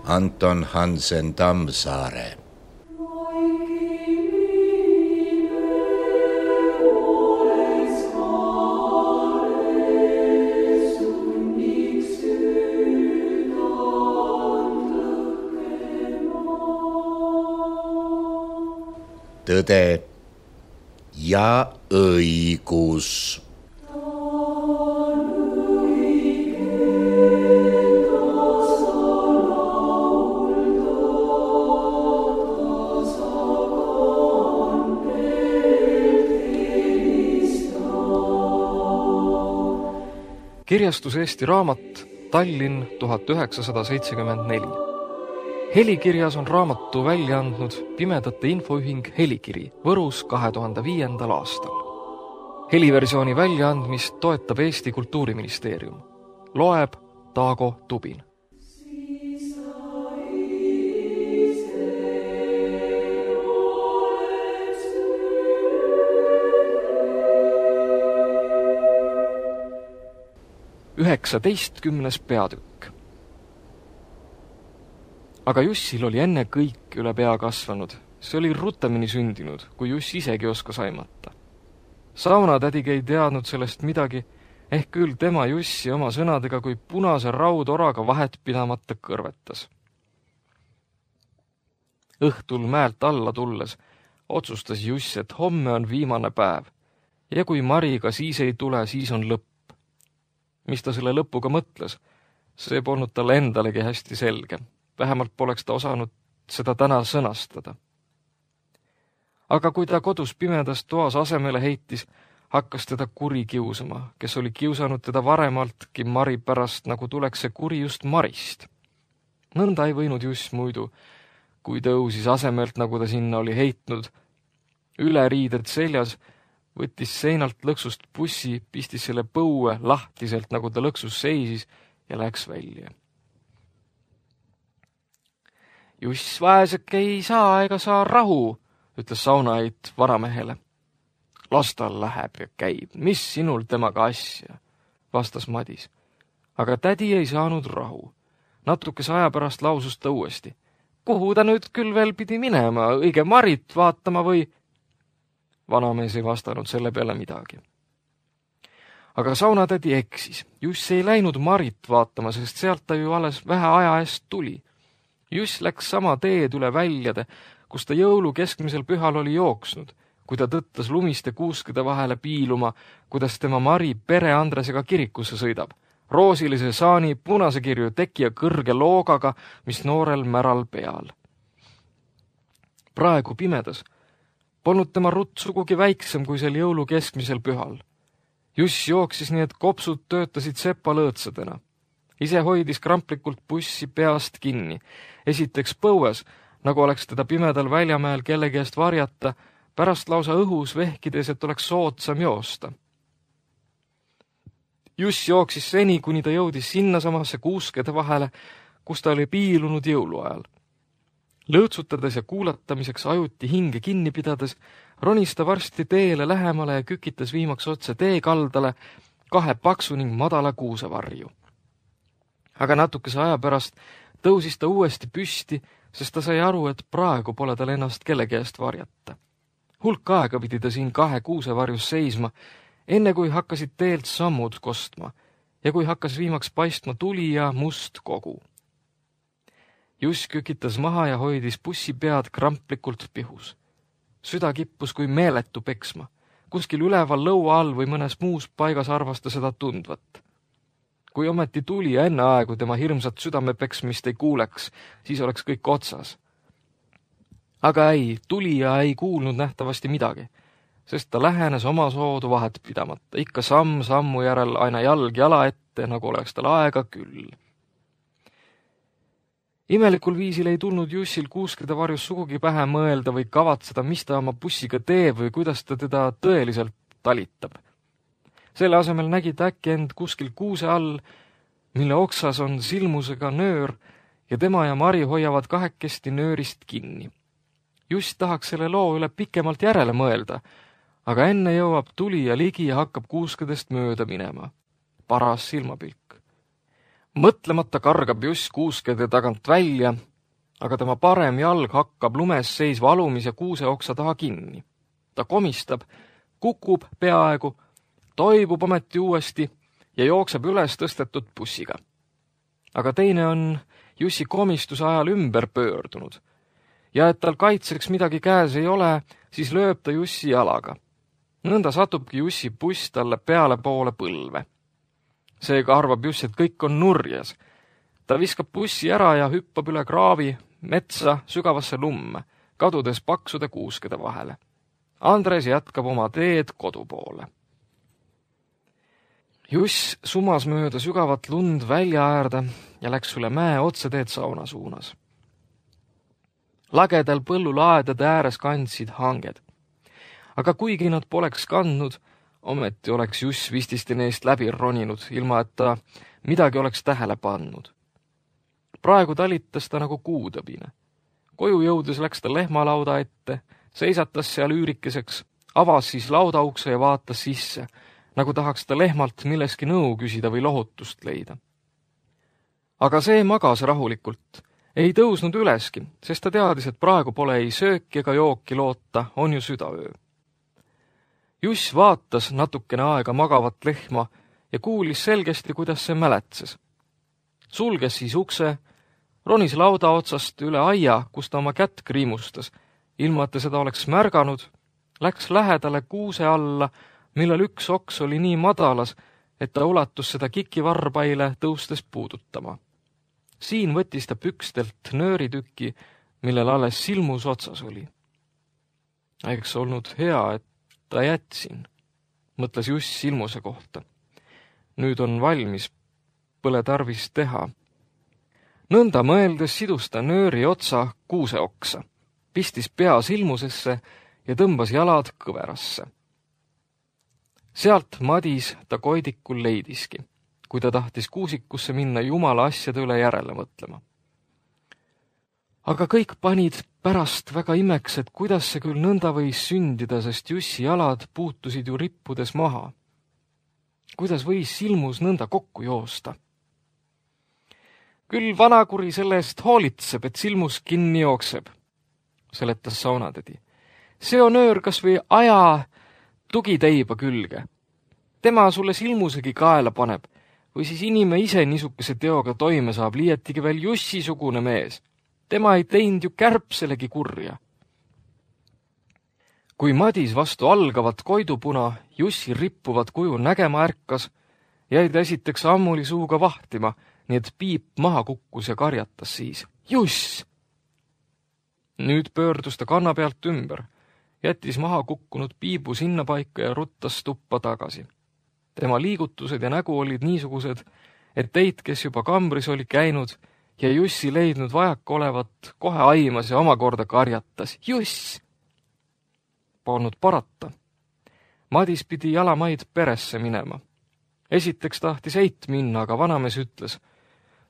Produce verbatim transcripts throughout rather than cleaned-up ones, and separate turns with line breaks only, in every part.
Anton Hansen Tammsaare. Tõde ja õigus.
Kirjastus Eesti Raamat, Tallinn tuhat üheksasada seitsekümmend neli. Helikirjas on raamatu välja andnud Pimedate Infoühing Helikiri Võrus kahe tuhande viiendal aastal. Heliversiooni väljaandmist toetab Eesti Kultuuriministeerium. Loeb Taago Tubin. üheksateistkümnes peatükk. Aga Jussil oli enne kõik üle pea kasvanud. See oli rutemini sündinud, kui Juss isegi oskas aimata. Saunatädigi ei teadnud sellest midagi, ehk küll tema Jussi oma sõnadega kui punase raudoraga vahet pidamata kõrvetas. Õhtul mäelt alla tulles otsustas Juss, et homme on viimane päev ja kui Mari ka siis ei tule, siis on lõpp. Mis ta selle lõpuga mõtles, see polnud talle endalegi hästi selge. Vähemalt poleks ta osanud seda täna sõnastada. Aga kui ta kodus pimedas toas asemele heitis, hakkas teda kuri kiusama, kes oli kiusanud teda varemaltki Mari pärast, nagu tuleks see kuri just Marist. Nõnda ei võinud Juss muidu, kui tõusis asemelt, nagu ta sinna oli heitnud, üle riided seljas, võttis seinalt lõksust bussi, pistis selle põue lahtiselt, nagu ta lõksus seisis ja läks välja. Juss vaeseke ei saa ega saa rahu, ütles saunaid varamehele. Las tal läheb ja käib, mis sinul temaga asja, vastas Madis. Aga tädi ei saanud rahu. Natukese aja pärast lausus ta uuesti. Kuhu ta nüüd küll veel pidi minema, õige Marit vaatama või... Vanamees ei vastanud selle peale midagi. Aga saunatädi eksis. Juss ei läinud Marit vaatama, sest sealt ta ju alles vähe aja eest tuli. Juss läks sama teed üle väljade, kus ta jõulu keskmisel pühal oli jooksnud, kui ta tõttas lumiste kuuskede vahele piiluma, kuidas tema Mari pere Andresega kirikusse sõidab. Roosilise saani, punase kirju teki ja kõrge loogaga, mis noorel märal peal. Praegu pimedas polnud tema rutt sugugi väiksem kui sel jõulu keskmisel pühal. Juss jooksis nii, et kopsud töötasid sepalõõtsadena. Ise hoidis kramplikult bussi peast kinni. Esiteks põues, nagu oleks teda pimedal väljamäel kellegi eest varjata, pärast lausa õhus vehkides, et oleks soodsam joosta. Juss jooksis seni, kuni ta jõudis sinna samasse kuuskede vahele, kus ta oli piilunud jõuluajal. Lõõtsutades ja kuulatamiseks ajuti hinge kinni pidades, ronis ta varsti teele lähemale ja kükitas viimaks otse teekaldale kahe paksu ning madala kuusevarju. Aga natukese aja pärast tõusis ta uuesti püsti, sest ta sai aru, et praegu pole tal ennast kellegi eest varjata. Hulk aega pidi ta siin kahe kuusevarjus seisma, enne kui hakkasid teelt sammud kostma ja kui hakkas viimaks paistma tuli ja must kogu. Juss kükitas maha ja hoidis bussi pead kramplikult pihus. Süda kippus kui meeletu peksma. Kuskil üleval lõua all või mõnes muus paigas arvas ta seda tundvat. Kui ometi tuli ja enne aegu tema hirmsat südamepeksmist ei kuuleks, siis oleks kõik otsas. Aga ei, tulija ei kuulnud nähtavasti midagi, sest ta lähenes oma soodu vahet pidamata, ikka samm sammu järel aina jalg jala ette, nagu oleks tal aega küll. Imelikul viisil ei tulnud Jussil kuuskede varjus sugugi pähe mõelda või kavatseda, mis ta oma bussiga teeb või kuidas ta teda tõeliselt talitab. Selle asemel nägi ta äkki end kuskil kuuse all, mille oksas on silmusega nöör ja tema ja Mari hoiavad kahekesti nöörist kinni. Juss tahaks selle loo üle pikemalt järele mõelda, aga enne jõuab tulija ligi ja hakkab kuuskedest mööda minema. Paras silmapilk. Mõtlemata kargab Juss kuuskede tagant välja, aga tema parem jalg hakkab lumes seisva alumise kuuseoksa taha kinni. Ta komistab, kukub peaaegu, toibub ometi uuesti ja jookseb üles tõstetud bussiga. Aga teine on Jussi komistuse ajal ümber pöördunud ja et tal kaitseks midagi käes ei ole, siis lööb ta Jussi jalaga. Nõnda satubki Jussi buss talle peale poole põlve. Seega arvab Juss, et kõik on nurjes. Ta viskab bussi ära ja hüppab üle kraavi, metsa, sügavasse lumme, kadudes paksude kuuskede vahele. Andres jätkab oma teed kodu poole. Juss sumas mööda sügavat lund välja äärde ja läks üle mäe otseteed sauna suunas. Lagedal põllulaedade ääres kandsid hanged. Aga kuigi nad poleks kandnud, ometi oleks Juss vististi neist läbi roninud, ilma et ta midagi oleks tähele pannud. Praegu talitas ta nagu kuutõbine. Koju jõudes läks ta lehmalauda ette, seisatas seal üürikeseks, avas siis laudaukse ja vaatas sisse, nagu tahaks ta lehmalt milleski nõu küsida või lohutust leida. Aga see magas rahulikult, ei tõusnud üleski, sest ta teadis, et praegu pole ei sööki ega jooki loota, on ju südaöö. Juss vaatas natukene aega magavat lehma ja kuulis selgesti, kuidas see mäletses. Sulges siis ukse, ronis lauda otsast üle aia, kus ta oma kätt kriimustas, ilma et ta seda oleks märganud, läks lähedale kuuse alla, millel üks oks oli nii madalas, et ta ulatus seda kikivarbaile tõustes puudutama. Siin võttis ta pükstelt nööritükki, millel alles silmus otsas oli. Eks olnud hea, et ta jätsin, mõtles Juss silmuse kohta. Nüüd on valmis, pole tarvis teha. Nõnda mõeldes sidus ta nööri otsa kuuseoksa, pistis pea silmusesse ja tõmbas jalad kõverasse. Sealt madis ta koidikul leidiski, kui ta tahtis kuusikusse minna jumala asjade üle järele mõtlema. Aga kõik panid pärast väga imeks, et kuidas see küll nõnda võis sündida, sest Jussi jalad puutusid ju rippudes maha. Kuidas võis silmus nõnda kokku joosta? Küll vanakuri selle eest hoolitseb, et silmus kinni jookseb, seletas saunatädi. See on öör kas või aja tugiteiba külge. Tema sulle silmusegi kaela paneb, või siis inime ise niisuguse teoga toime saab, liietigi veel Jussi-sugune mees. Tema ei teinud ju kärpselegi kurja. Kui madis vastu algavat koidupuna Jussi rippuvat kuju nägema ärkas, jäi ta esiteks ammuli suuga vahtima, nii et piip maha kukkus ja karjatas siis. Juss! Nüüd pöördus ta kanna pealt ümber, jättis maha kukkunud piibu sinna paika ja ruttas tuppa tagasi. Tema liigutused ja nägu olid niisugused, et teid, kes juba kambris oli käinud ja Jussi leidnud vajaka olevat, kohe aimas ja omakorda karjatas. Juss! Polnud parata. Madis pidi jalamaid peresse minema. Esiteks tahtis eit minna, aga vanamees ütles,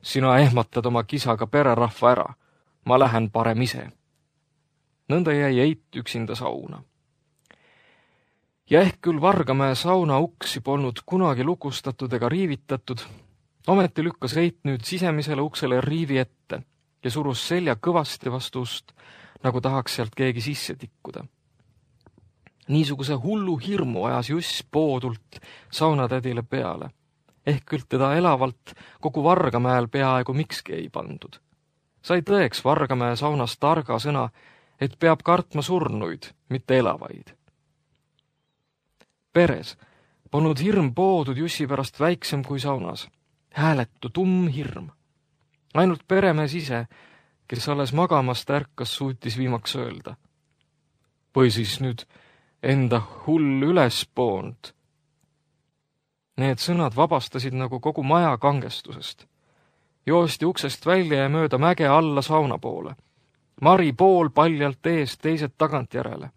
sina ehmatad oma kisaga pererahva ära, ma lähen parem ise. Nõnda jäi eit üksinda sauna. Ja ehk küll Vargamäe sauna uksi polnud kunagi lukustatud ega riivitatud, ometi lükkas eit nüüd sisemisele uksele riivi ette ja surus selja kõvasti vastu ust, nagu tahaks sealt keegi sisse tikkuda. Niisuguse hullu hirmu ajas Juss poodult saunatädile peale. Ehk küll teda elavalt kogu Vargamäel peaaegu mikski ei pandud. Sai tõeks Vargamäe saunas targa sõna, et peab kartma surnuid, mitte elavaid. Peres polnud hirm poodud Jussi pärast väiksem kui saunas. Hääletu tumm hirm. Ainult peremees ise, kes alles magamast ärkas, suutis viimaks öelda. Või siis nüüd enda hull üles poond. Need sõnad vabastasid nagu kogu maja kangestusest. Joosti uksest välja ja mööda mäge alla sauna poole. Mari pool paljalt eest, teised tagant järele.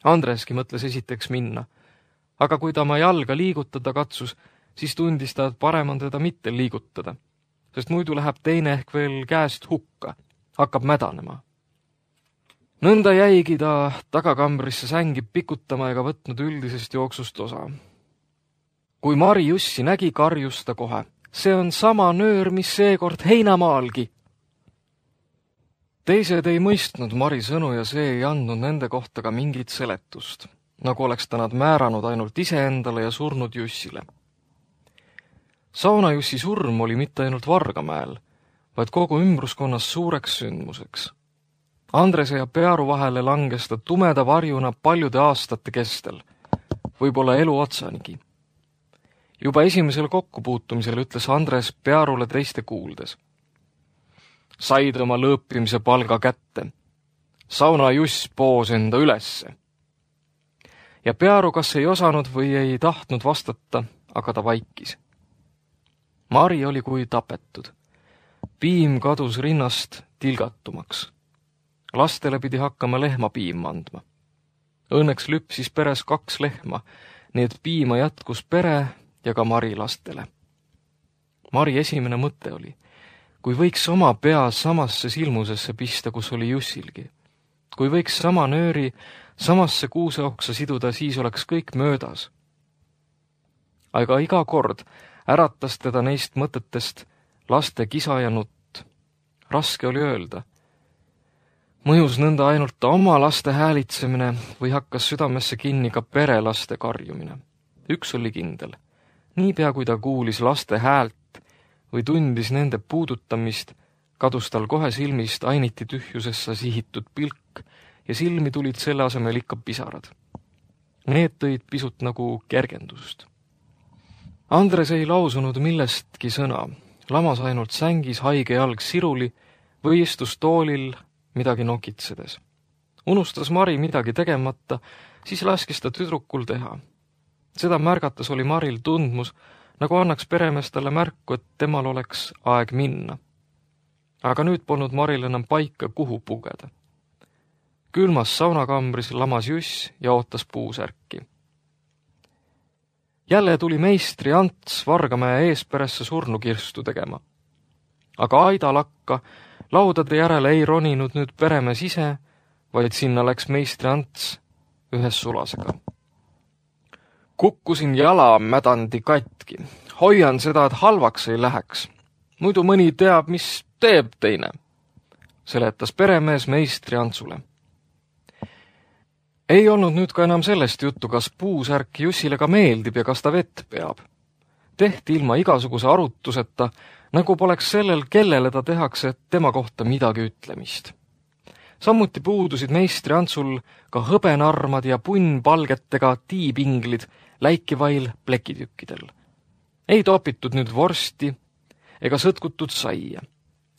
Andreski mõtles esiteks minna, aga kui ta oma jalga liigutada katsus, siis tundis ta, et parem on teda mitte liigutada, sest muidu läheb teine ehk veel käest hukka, hakkab mädanema. Nõnda jäigi ta tagakambrisse sängi pikutama ega võtnud üldisest jooksust osa. Kui Mari Jussi nägi, karjus ta kohe. see on sama nöör, mis seekord heinamaalgi. Teised ei mõistnud Mari sõnu ja see ei andnud nende kohta ka mingit seletust, nagu oleks ta nad määranud ainult iseendale ja surnud Jussile. Saunajussi surm oli mitte ainult Vargamäel, vaid kogu ümbruskonnas suureks sündmuseks. Andrese ja Pearu vahele langes ta tumeda varjuna paljude aastate kestel, võib-olla elu otsanigi. Juba esimesel kokkupuutumisel ütles Andres Pearule teiste kuuldes. Said oma lõõpimise palga kätte. Saunajuss poos enda ülesse. Ja Pearu kas ei osanud või ei tahtnud vastata, aga ta vaikis. Mari oli kui tapetud. Piim kadus rinnast tilgatumaks. Lastele pidi hakkama lehma piima andma. Õnneks lüpsis peres kaks lehma, nii et piima jätkus pere ja ka Mari lastele. Mari esimene mõte oli, kui võiks oma pea samasse silmusesse pista, kus oli Jussilgi. Kui võiks sama nööri samasse kuuseoksa siduda, siis oleks kõik möödas. Aga iga kord äratas teda neist mõtetest laste kisa ja nutt. Raske oli öelda. Mõjus nõnda ainult ta oma laste häälitsemine või hakkas südamesse kinni ka perelaste karjumine. Üks oli kindel. Niipea kui ta kuulis laste häält või tundis nende puudutamist, kadus tal kohe silmist ainiti tühjusessa sihitud pilk ja silmi tulid selle asemel ikka pisarad. Need tõid pisut nagu kergendust. Andres ei lausunud millestki sõna, lamas ainult sängis haige jalg siruli või istus toolil midagi nokitsedes. Unustas Mari midagi tegemata, siis laskis ta tüdrukul teha. Seda märgates oli Maril tundmus, nagu annaks peremees talle märku, et temal oleks aeg minna. Aga nüüd polnud Maril enam paika, kuhu pugeda. Külmas saunakambris lamas Juss ja ootas puusärki. Jälle tuli meistri Ants Vargamäe eesperesse surnukirstu tegema. Aga aidalakka laudade järele ei roninud nüüd peremees ise, vaid sinna läks meistri Ants ühes sulasega. Kukkusin jala mädandi katki. Hoian seda, et halvaks ei läheks. Muidu mõni teab, mis teeb teine, seletas peremees meistri Antsule. Ei olnud nüüd ka enam sellest juttu, kas puusärk Jussile ka meeldib ja kas ta vett peab. Tehti ilma igasuguse arutuseta, nagu poleks sellel, kellele ta tehakse tema kohta midagi ütlemist. Samuti puudusid meistri Antsul ka hõbenarmad ja punnpalgetega tiipinglid läikivail plekitükkidel. Ei topitud nüüd vorsti ega sõtkutud saia.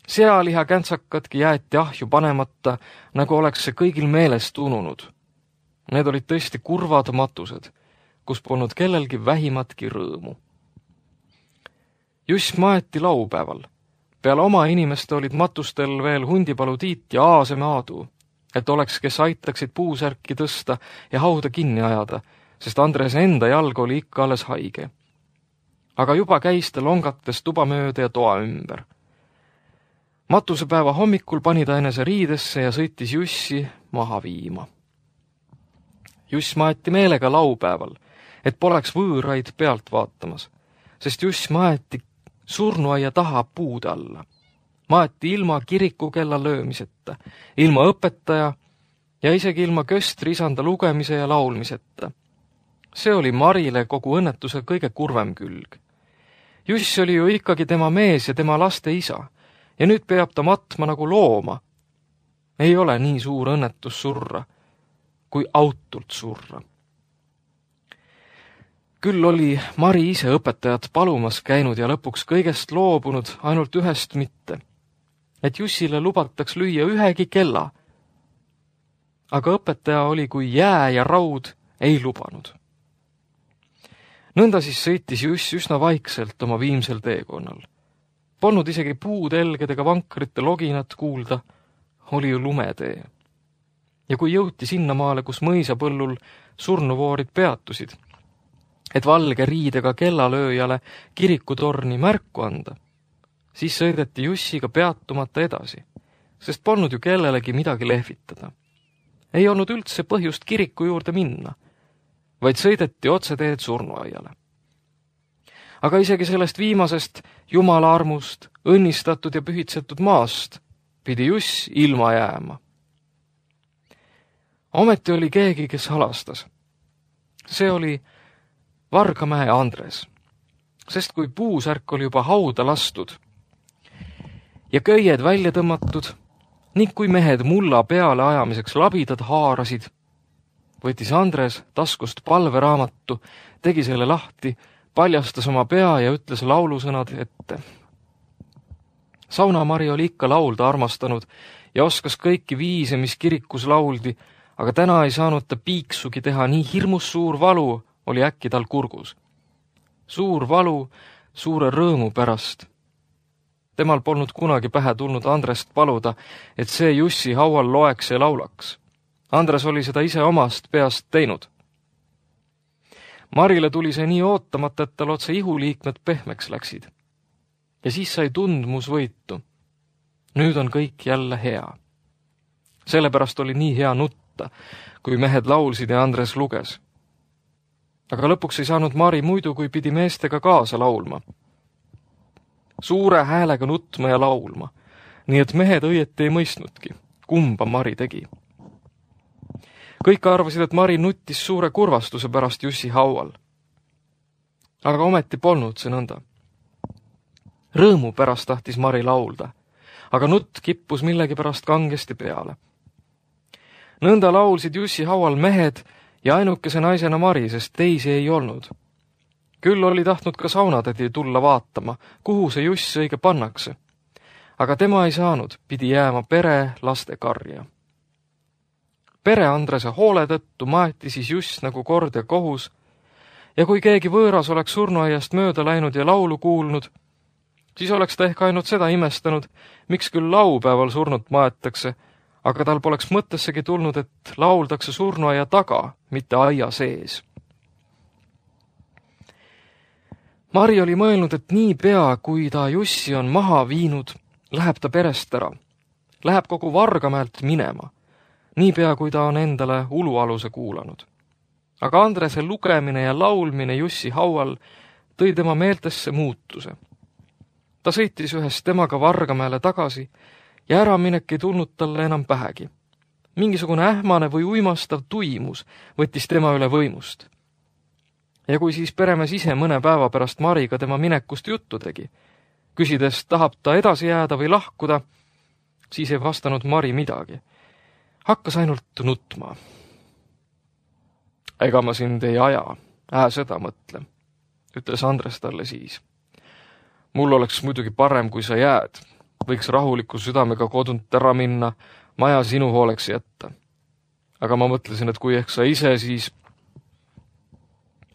Sealiha käntsakadki jäeti ahju panemata, nagu oleks see kõigil meelest ununud. Need olid tõesti kurvad matused, kus polnud kellelgi vähimatki rõõmu. Juss maeti laupäeval. Peale oma inimeste olid matustel veel Hundipalu Tiit ja Aaseme Aadu, et oleks, kes aitaksid puusärki tõsta ja hauda kinni ajada, sest Andres enda jalg oli ikka alles haige. Aga juba käis ta longates tuba mööda ja toa ümber. Matusepäeva hommikul pani ta enese riidesse ja sõitis Jussi maha viima. Juss maeti meelega laupäeval, et poleks võõraid pealt vaatamas, sest Juss maeti surnuaia taha puude alla. Maeti ilma kirikukella löömiseta, ilma õpetaja ja isegi ilma köstri isanda lugemise ja laulmiseta. See oli Marile kogu õnnetuse kõige kurvem külg. Juss oli ju ikkagi tema mees ja tema laste isa, ja nüüd peab ta matma nagu looma. Ei ole nii suur õnnetus surra, kui autult surra. Küll oli Mari ise õpetajat palumas käinud ja lõpuks kõigest loobunud, ainult ühest mitte, et Jussile lubataks lüüa ühegi kella. Aga õpetaja oli kui jää ja raud ei lubanud. Nõnda siis sõitis Juss üsna vaikselt oma viimsel teekonnal. Polnud isegi puutelged ega vankrite loginat kuulda, oli ju lumetee. Ja kui jõuti sinnamaale, kus mõisapõllul surnuvoorid peatusid, et valge riidega kellalööjale kirikutorni märku anda, siis sõideti Jussiga peatumata edasi, sest polnud ju kellelegi midagi lehvitada. Ei olnud üldse põhjust kiriku juurde minna, vaid sõideti otseteed surnuaiale. aga isegi sellest viimasest Jumala armust, õnnistatud ja pühitsetud maast pidi Juss ilma jääma. Ometi oli keegi, kes halastas. See oli Vargamäe Andres, sest kui puusärk oli juba hauda lastud ja köied välja tõmmatud ning kui mehed mulla peale ajamiseks labidad haarasid, võttis Andres taskust palveraamatu, tegi selle lahti, paljastas oma pea ja ütles laulusõnad ette. Saunamari oli ikka laulda armastanud ja oskas kõiki viise, mis kirikus lauldi, aga täna ei saanud ta piiksugi teha, nii hirmus suur valu oli äkki tal kurgus. Suur valu suure rõõmu pärast. Temal polnud kunagi pähe tulnud Andrest paluda, et see Jussi haual loeks ja laulaks. Andres oli seda ise omast peast teinud. Marile tuli see nii ootamata, et tal otse ihuliikmed pehmeks läksid. Ja siis sai tundmus võitu. Nüüd on kõik jälle hea. Sellepärast oli nii hea nutta, kui mehed laulsid ja Andres luges. Aga lõpuks ei saanud Mari muidu, kui pidi meestega kaasa laulma. Suure häälega nutma ja laulma, nii et mehed õieti ei mõistnudki, kumba Mari tegi. Kõik arvasid, et Mari nuttis suure kurvastuse pärast Jussi haual. Aga ometi polnud see nõnda. Rõõmu pärast tahtis Mari laulda, aga nutt kippus millegi pärast kangesti peale. Nõnda laulsid Jussi haual mehed ja ainukese naisena Mari, sest teisi ei olnud. Küll oli tahtnud ka saunatädi tulla vaatama, kuhu see Juss õige pannakse. Aga tema ei saanud, pidi jääma pere laste karja. Pere Andrese hoole tõttu maeti siis Juss nagu kord ja kohus, ja kui keegi võõras oleks surnuaiast mööda läinud ja laulu kuulnud, siis oleks ta ehk ainult seda imestanud, miks küll laupäeval surnut maetakse, aga tal poleks mõttessegi tulnud, et lauldakse surnuaia taga, mitte aia sees. Mari oli mõelnud, et nii pea, kui ta Jussi on maha viinud, läheb ta perest ära. Läheb kogu Vargamäelt minema, nii pea, kui ta on endale ulualuse kuulanud. Aga Andrese lugemine ja laulmine Jussi haual tõi tema meeltesse muutuse. Ta sõitis ühest temaga Vargamäele tagasi ja äraminek ei tulnud talle enam pähegi. Mingisugune ähmane või uimastav tuimus võttis tema üle võimust. Ja kui siis peremees ise mõne päeva pärast Mariga tema minekust juttu tegi, küsides, tahab ta edasi jääda või lahkuda, siis ei vastanud Mari midagi. Hakkas ainult nutma. Ega ma sind ei aja, ää seda mõtle, ütles Andres talle siis. Mul oleks muidugi parem, kui sa jääd. Võiks rahuliku südamega kodunt ära minna, maja sinu hooleks jätta. Aga ma mõtlesin, et kui ehk sa ise, siis...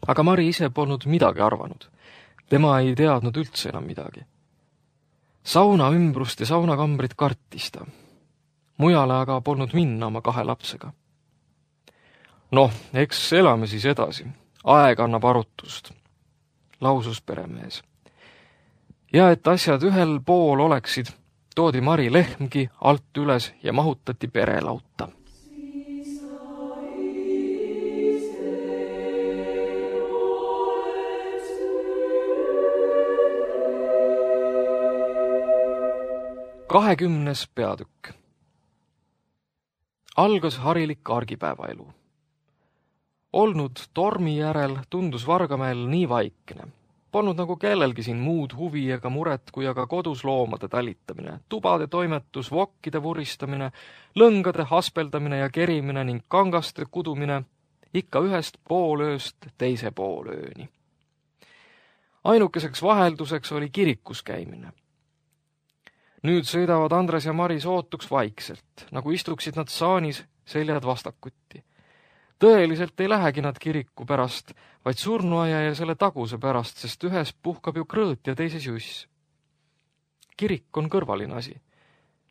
Aga Mari ise polnud midagi arvanud. Tema ei teadnud üldse enam midagi. Sauna ümbrust ja saunakambrit kartis ta. Mujale aga polnud minna oma kahe lapsega. Noh, eks elame siis edasi. Aeg annab arutust, lausus peremees. Ja et asjad ühel pool oleksid, toodi Mari lehmgi alt üles ja mahutati perelauta. Kahekümnes peatükk. Algas harilik argipäevaelu. Olnud tormi järel tundus Vargamäel nii vaikne. Polnud nagu kellelgi siin muud huvi ega muret, kui aga kodus loomade talitamine, tubade toimetus, vokkide vuristamine, lõngade haspeldamine ja kerimine ning kangaste kudumine ikka ühest poolööst teise poolööni. Ainukeseks vahelduseks oli kirikus käimine. Nüüd sõidavad Andres ja Mari sootuks vaikselt, nagu istuksid nad saanis seljad vastakutti. Tõeliselt ei lähegi nad kiriku pärast, vaid surnuaia ja selle taguse pärast, sest ühes puhkab ju krõõt ja teises Juss. Kirik on kõrvaline asi.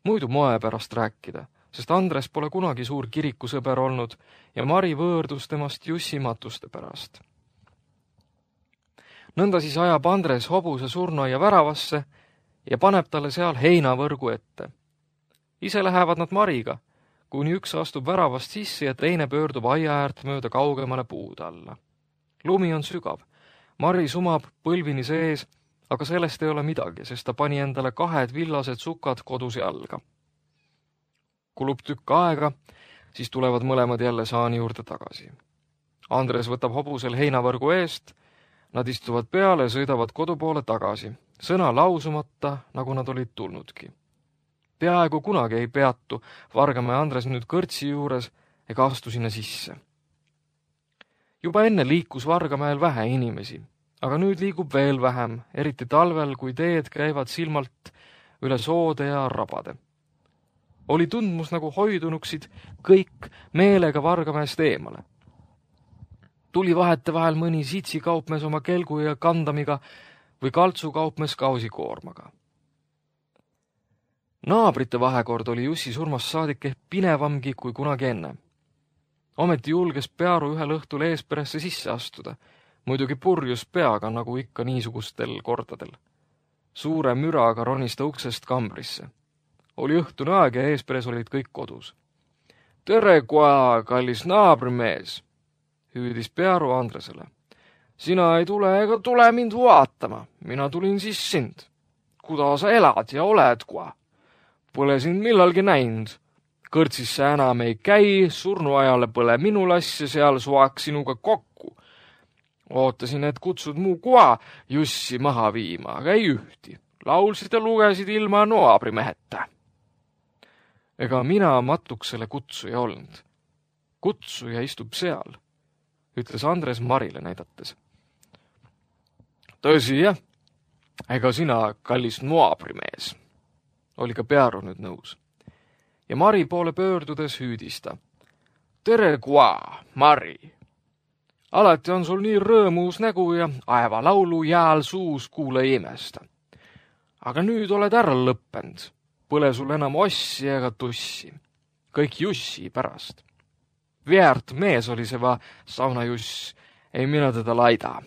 Muidu moe pärast rääkida, sest Andres pole kunagi suur kirikusõber olnud ja Mari võõrdus temast Jussi matuste pärast. Nõnda siis ajab Andres hobuse surnuaia väravasse ja paneb talle seal heinavõrgu ette. Ise lähevad nad Mariga, kuni üks astub väravast sisse ja teine pöördub aia äärt mööda kaugemale puud alla. Lumi on sügav. Mari sumab põlvini sees, aga sellest ei ole midagi, sest ta pani endale kahed villased sukad koduse jalga. Kulub tükk aega, siis tulevad mõlemad jälle saani juurde tagasi. Andres võtab hobusel heinavõrgu eest, nad istuvad peale ja sõidavad kodu poole tagasi, sõna lausumata, nagu nad olid tulnudki. Peaaegu kunagi ei peatu Vargamäe Andres nüüd kõrtsi juures ega astu sinna sisse. Juba enne liikus Vargamäel vähe inimesi, aga nüüd liigub veel vähem, eriti talvel, kui teed käivad silmalt üle soode ja rabade. Oli tundmus, nagu hoidunuksid kõik meelega Vargamäest eemale. Tuli vahete vahel mõni sitsi kaupmees oma kelgu ja kandamiga või kaltsu kaupmees kausikoormaga. Naabrite vahekord oli Jussi surmast saadik ehk pinevamgi kui kunagi enne. Ometi julges Pearu ühel õhtul eesperesse sisse astuda, muidugi purjus peaga, nagu ikka niisugustel kordadel. Suure müraga ronis ta uksest kambrisse. Oli õhtune aeg ja eesperes olid kõik kodus. Tere, koa, kallis naabrimees, hüüdis Pearu Andresele. Sina ei tule ega tule mind vaatama, mina tulin siis sind. Kuda sa elad ja oled, koa? Pole sind millalgi näinud. Kõrtsis sa enam ei käi, surnuajale pole minu lass ja seal suaks sinuga kokku. Ootasin, et kutsud muu koa Jussi maha viima, aga ei ühti. Laulsid ja lugesid ilma noabrimeheta. Ega mina matuksele kutsuja olnud. Kutsuja istub seal, ütles Andres Marile näidates. Tõsi, jah, ega sina, kallis noabrimees, oli ka Pearu nüüd nõus. Ja Mari poole pöördudes hüüdis ta. Tere, koa, Mari! Alati on sul nii rõõmus nägu ja aeva laulu jääl suus kuule imesta. Aga nüüd oled ära lõppend. Põle sul enam ossi ega tussi. Kõik Jussi pärast. Väärt mees oli see va sauna Juss, ei mina teda laida.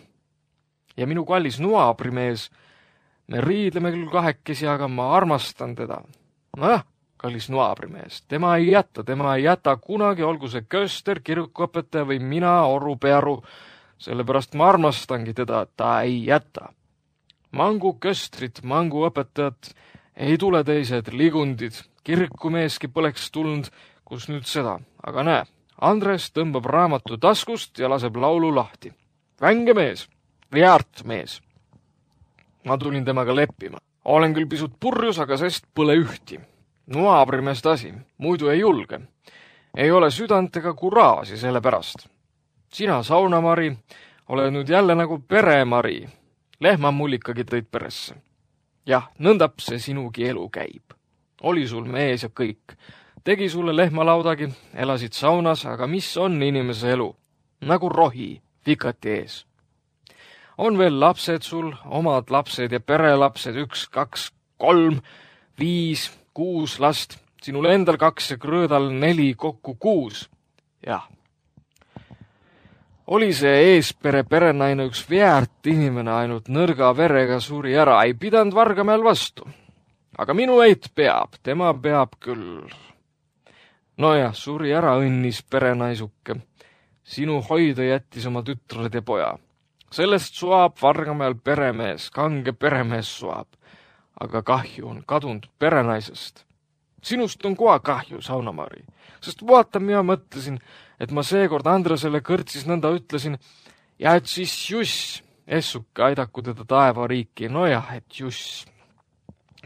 Ja minu kallis noabrimees, me riidleme küll kahekesi, aga ma armastan teda. Nojah, kallis noabrimees, tema ei jäta, tema ei jäta kunagi, olgu see köster, kirikuõpetaja või mina, Oru Pearu, sellepärast ma armastangi teda, ta ei jäta. Mangu köstrit, mangu õpetajat, ei tule teised ligundid, kirikumeeski poleks tulnud, kus nüüd seda, aga näe, Andres tõmbab raamatu taskust ja laseb laulu lahti. Vänge mees, väärt mees. Ma tulin temaga leppima. Olen küll pisut purjus, aga sest pole ühti. Noabrimest asi, muidu ei julge. Ei ole südant ega kuraasi selle pärast. Sina, saunamari, oled nüüd jälle nagu peremari. Lehma mul ikkagi tõid peresse. Jah, nõndap see sinugi elu käib. Oli sul mees ja kõik. Tegi sulle lehmalaudagi, elasid saunas, aga mis on inimese elu? Nagu rohi, vikati ees. On veel lapsed sul, omad lapsed ja perelapsed, üks, kaks, kolm, viis, kuus last, sinul endal kaks ja krõõdal neli, kokku kuus. Jah. Oli see eespere perenaine üks väärt inimene, ainult nõrga verega suri ära, ei pidanud Vargamäel vastu. Aga minu eit peab, tema peab küll. Nojah, suri ära õnnis perenaisuke. Sinu hoida jättis oma tütred ja poja. Sellest suab Vargamäel peremees, kange peremees suab. Aga kahju on kadunud perenaisest. Sinust on koha kahju, saunamari. Sest vaata, mina mõtlesin, et ma seekord Andresele kõrtsis nõnda ütlesin, ja et siis Juss, essuke aidaku teda taevariiki. Nojah, et Juss.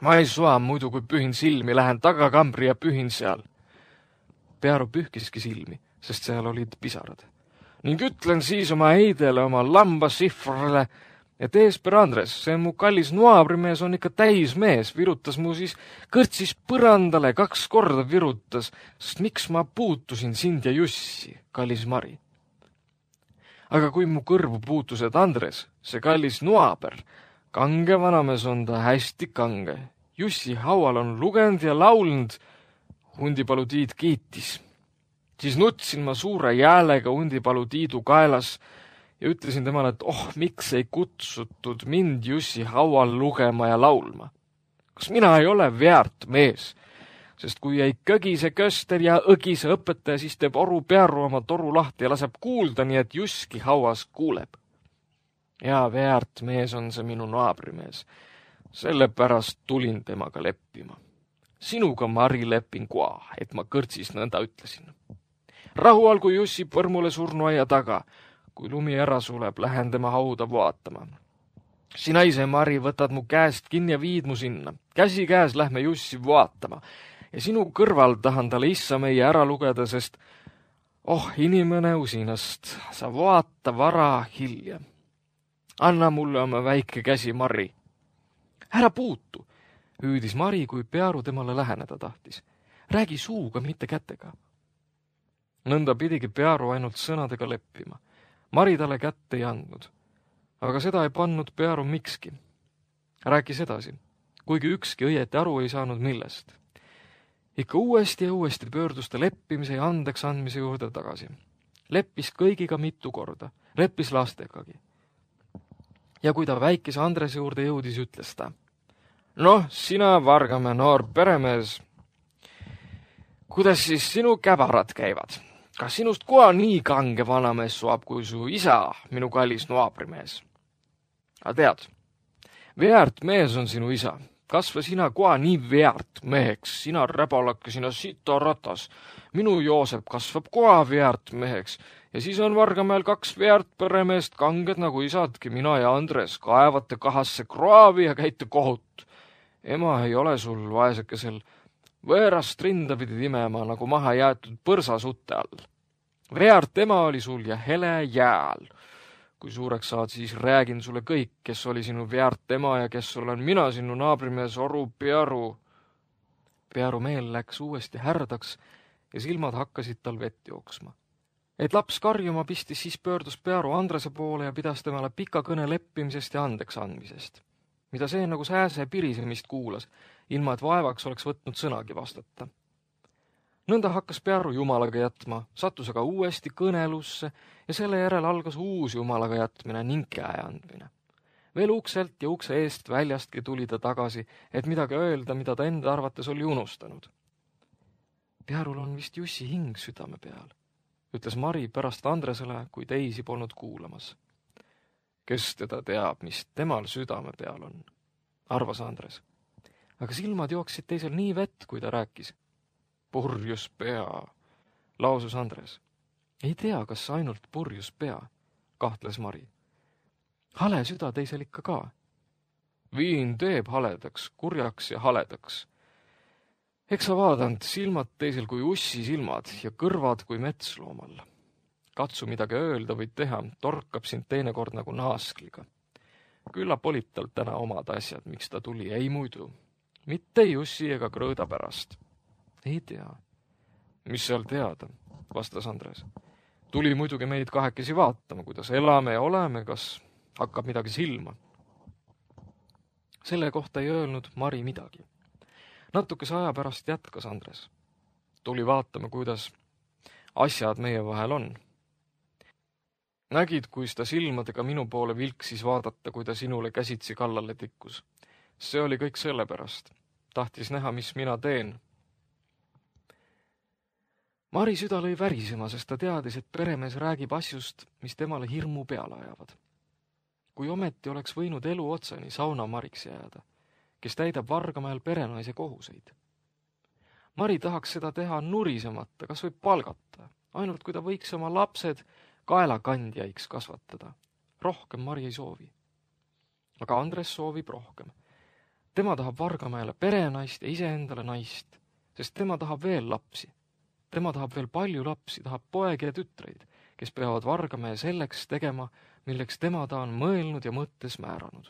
Ma ei sua muidu, kui pühin silmi, lähen tagakambri ja pühin seal. Pearu pühkiski silmi, sest seal olid pisarad. Ning ütlen siis oma eidele, oma lambasifrale, et eesper Andres, see mu kallis noabrimees on ikka täis mees, virutas mu siis kõrtsis põrandale, kaks korda virutas, sest miks ma puutusin sind ja Jussi, kallis Mari. Aga kui mu kõrvu puutused Andres, see kallis noaber, kange vanamees on ta hästi kange. Jussi haual on lugenud ja laulnud, Hundipalu Tiit kiitis. Siis nutsin ma suure jäälega Hundipalu Tiidu kaelas ja ütlesin temale, et oh, miks ei kutsutud mind Jussi haual lugema ja laulma. Kas mina ei ole väärt mees? Sest kui ei kõgise köster ja õgise õpetaja, siis teeb Oru Pearu oma toru lahti ja laseb kuulda, nii et Jusski hauas kuuleb. Ja väärt mees on see minu naabrimees. Sellepärast tulin temaga leppima. Sinuga, Mari, lepin koa, et ma kõrtsis nõnda ütlesin. Rahu algu Jussi põrmule surnuaia taga. Kui lumi ära suleb, lähen tema hauda vaatama. Sina ise, Mari, võtad mu käest kinni ja viid mu sinna. Käsi käes lähme Jussi vaatama. Ja sinu kõrval tahan talle issa meie ära lugeda, sest oh, inimene usinast, sa vaata vara hilja. Anna mulle oma väike käsi, Mari. Ära puutu, hüüdis Mari, kui Pearu temale läheneda tahtis. Räägi suuga, mitte kätega. Nõnda pidigi Pearu ainult sõnadega leppima. Mari talle kätte ei andnud. Aga seda ei pannud Pearu mikski. Rääkis edasi, kuigi ükski õieti aru ei saanud millest. Ikka uuesti ja uuesti pöördus ta leppimise ja andeks andmise juurde tagasi. Leppis kõigiga mitu korda, leppis lastegagi. Ja kui ta väikese Andrese juurde jõudis, ütles ta. Noh, sina, Vargamäe noor peremees, kuidas siis sinu käbarad käivad? Kas sinust koha nii kange vanamees suab, kui su isa, minu kallis naabrimees? A tead, väärt mees on sinu isa. Kasva sina koha nii väärt meheks, sina räbalake, sina sita ratas. Minu Joosep kasvab koha väärt meheks ja siis on Vargamäel kaks väärt peremeest kanged nagu isadki, mina ja Andres, kaevate kahasse kraavi ja käite kohut. Ema ei ole sul vaesekesel võõrast rinda pidid imema nagu maha jäetud põrsasutte all. Väärt ema oli sul ja hele jääl. Kui suureks saad, siis räägin sulle kõik, kes oli sinu väärt ema ja kes olen mina, sinu naabrimees Oru Pearu. Pearu meel läks uuesti härdaks ja silmad hakkasid tal vett jooksma. Et laps karjuma pistis, siis pöördus Pearu Andrese poole ja pidas temale pika kõne leppimisest ja andeks andmisest, mida see nagu sääse pirisemist kuulas, ilma et vaevaks oleks võtnud sõnagi vastata. Nõnda hakkas Pearu jumalaga jätma, sattus aga uuesti kõnelusse ja selle järel algas uus jumalaga jätmine ning käe andmine. Veel ukselt ja ukse eest väljastki tuli ta tagasi, et midagi öelda, mida ta enda arvates oli unustanud. Pearul on vist Jussi hing südame peal, ütles Mari pärast Andresele, kui teisi polnud kuulamas. Kes teda teab, mis temal südame peal on, arvas Andres. Aga silmad jooksid teisel nii vett, kui ta rääkis. Purjus pea, lausus Andres. Ei tea, kas ainult purjus pea, kahtles Mari. Hale süda teisel ikka ka. Viin teeb haledaks, kurjaks ja haledaks. Eks sa vaadanud silmad teisel kui ussi silmad ja kõrvad kui metsloomal. Katsu midagi öelda või teha, torkab sind teinekord nagu naaskliga. Küllap olid tal täna omad asjad, miks ta tuli, ei muidu. Mitte Jussi ega Krõõda pärast. Ei tea. Mis seal teada, vastas Andres. Tuli muidugi meid kahekesi vaatama, kuidas elame ja oleme, kas hakkab midagi silma. Selle kohta ei öelnud Mari midagi. Natukese aja pärast jätkas Andres. Tuli vaatama, kuidas asjad meie vahel on. Nägid, kui ta silmadega minu poole vilksis vaadata, kui ta sinule käsitsi kallale tikkus. See oli kõik selle pärast. Tahtis näha, mis mina teen. Mari süda lõi värisema, sest ta teadis, et peremees räägib asjust, mis temale hirmu peale ajavad. Kui ometi oleks võinud elu otsani sauna Mariks jääda, kes täidab Vargamäel perenaise kohuseid. Mari tahaks seda teha nurisemata, kas võib palgata, ainult kui ta võiks oma lapsed kaelakandjaiks kasvatada. Rohkem Mari ei soovi. Aga Andres soovib rohkem. Tema tahab Vargamäele perenaist ja iseendale naist, sest tema tahab veel lapsi. Tema tahab veel palju lapsi, tahab poegi ja tütreid, kes peavad Vargamäe selleks tegema, milleks tema ta on mõelnud ja mõttes määranud.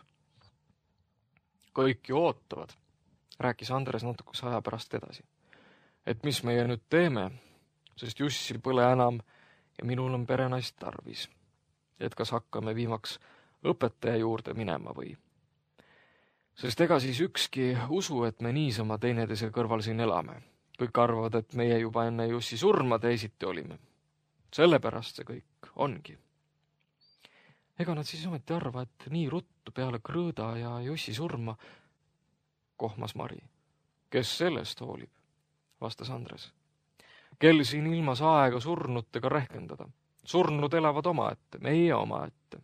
Kõik ju ootavad, rääkis Andres natukese aja pärast edasi. Et mis meie nüüd teeme, sest Jussi põle enam ja minul on perenaist tarvis. Et kas hakkame viimaks õpetaja juurde minema või? Sest ega siis ükski usu, et me niisama teineteise kõrval siin elame. Kõik arvavad, et meie juba enne Jussi surma teisiti olime. Sellepärast see kõik ongi. Ega nad siis ometi arva, et nii ruttu peale Krõõda ja Jussi surma, kohmas Mari. Kes sellest hoolib, vastas Andres. Kel siin ilmas aega surnutega rehkendada. Surnud elavad omaette, meie omaette.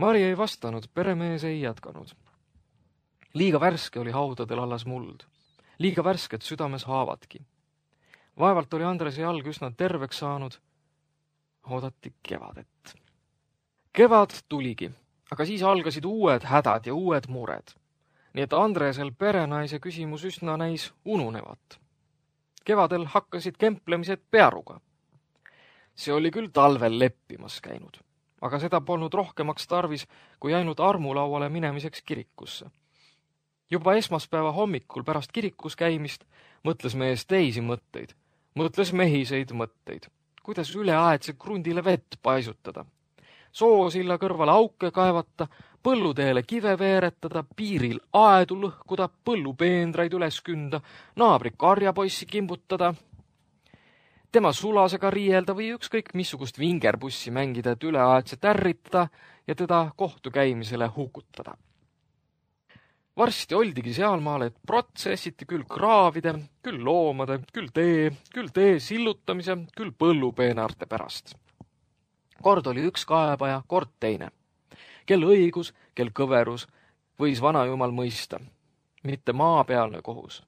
Mari ei vastanud, peremees ei jätkanud. Liiga värske oli haudadel allas muld. Liiga värsket südames haavadki. Vaevalt oli Andrese jalg üsna terveks saanud. Oodati kevadet. Kevad tuligi, aga siis algasid uued hädad ja uued mured. Nii et Andresel perenaise küsimus üsna näis ununevat. Kevadel hakkasid kemplemised Pearuga. See oli küll talvel leppimas käinud, aga seda polnud rohkemaks tarvis, kui ainult armulauale minemiseks kirikusse. Juba esmaspäeva hommikul pärast kirikus käimist mõtles mees teisi mõtteid, mõtles mehiseid mõtteid, kuidas üleaedse krundile vett paisutada, soosilla kõrvale auke kaevata, põlluteele kive veeretada, piiril aedu lõhkuda, põllupeendraid üles künda, naabri karjapoissi kimbutada, tema sulasega riielda või ükskõik missugust vingerbussi mängida, et üleaedset ärritada ja teda kohtukäimisele hukutada. Varsti oldigi sealmaal, et protsessiti küll kraavide, küll loomade, küll tee, küll tee sillutamise, küll põllupeenarte pärast. Kord oli üks kaebaja, kord teine. Kel õigus, kel kõverus, võis vanajumal mõista, mitte maapealne kohus.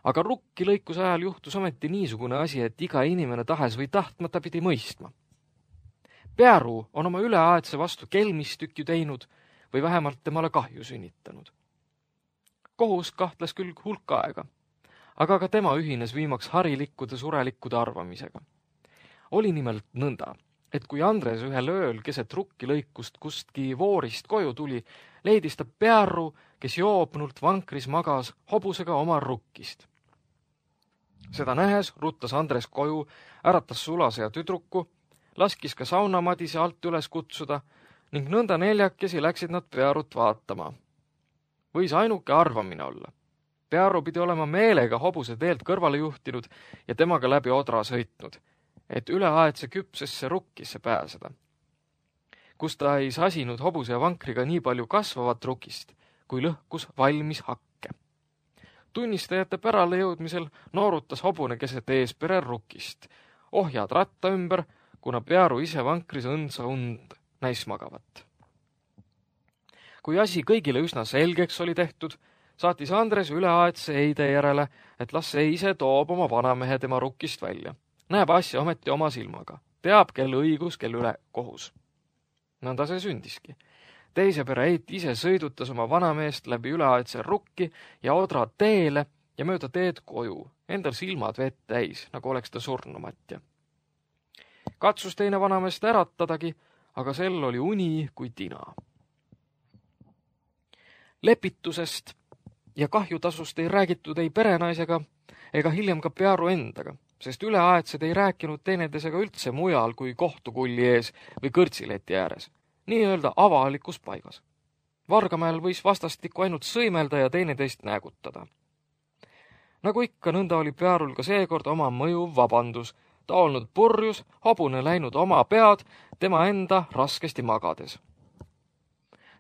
Aga rukki lõikuse ajal juhtus ometi niisugune asi, et iga inimene tahes või tahtmata pidi mõistma. Pearu on oma üleaedse vastu kelmistükju teinud või vähemalt temale kahju sünnitanud. Kohus kahtles küll hulk aega, aga ka tema ühines viimaks harilikkude surelikkude arvamisega. Oli nimelt nõnda, et kui Andres ühel ööl keset rukki lõikust kustki voorist koju tuli, leidis ta Pearu, kes joobnult vankris magas hobusega oma rukkist. Seda nähes ruttas Andres koju, äratas sulase ja tüdruku, laskis ka saunamadise alt üles kutsuda ning nõnda neljakesi läksid nad Pearut vaatama. Võis ainuke arvamine olla. Pearu pidi olema meelega hobuse teelt kõrvale juhtinud ja temaga läbi odra sõitnud, et üleaedse küpsesse rukkisse pääseda. Kus ta ei sasinud hobuse ja vankriga nii palju kasvavat rukist, kui lõhkus valmis hakke. Tunnistajate pärale jõudmisel noorutas hobune keset eespere rukist, ohjad ratta ümber, kuna Pearu ise vankris õndsa und näis magavat. Kui asi kõigile üsna selgeks oli tehtud, saatis Andres üleaedse eide järele, et las see ise toob oma vanamehe tema rukkist välja. Näeb asja ometi oma silmaga. Teab, kel õigus, kel üle kohus. Nõnda see sündiski. Teise pere eit ise sõidutas oma vanameest läbi üleaedse rukki ja odra teele ja mööda teed koju. Endal silmad vett täis, nagu oleks ta surnumatja. Katsus teine vanameest äratadagi, aga sel oli uni kui tina. Lepitusest ja kahjutasust ei räägitud ei perenaisega ega hiljem ka Pearu endaga, sest üleaedsed ei rääkinud teineteisega üldse mujal kui kohtukulli ees või kõrtsileti ääres, nii-öelda avalikus paigas. Vargamäel võis vastastikku ainult sõimelda ja teineteist näägutada. Nagu ikka, nõnda oli Pearul ka seekord oma mõjuv vabandus, ta olnud purjus, hobune läinud oma pead, tema enda raskesti magades.